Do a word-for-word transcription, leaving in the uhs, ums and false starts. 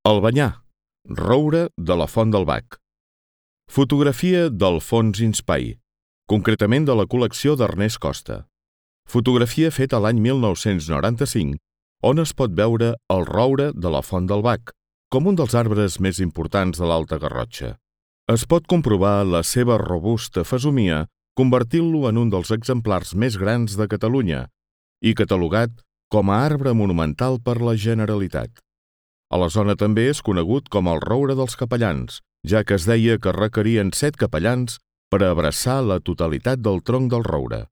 Albanyà, roure de la Font del Bac. Fotografia d'Alfons Inspai, concretament de la col·lecció d'Ernest Costa. Fotografia feta l'any mil nou-cents noranta-cinc, on es pot veure el roure de la Font del Bac, com un dels arbres més importants de l'Alta Garrotxa. Es pot comprovar la seva robusta fesomia convertint-lo en un dels exemplars més grans de Catalunya i catalogat com a arbre monumental per la Generalitat. A la zona també és conegut com el roure dels capellans, ja que es deia que requerien set capellans per a abraçar la totalitat del tronc del roure.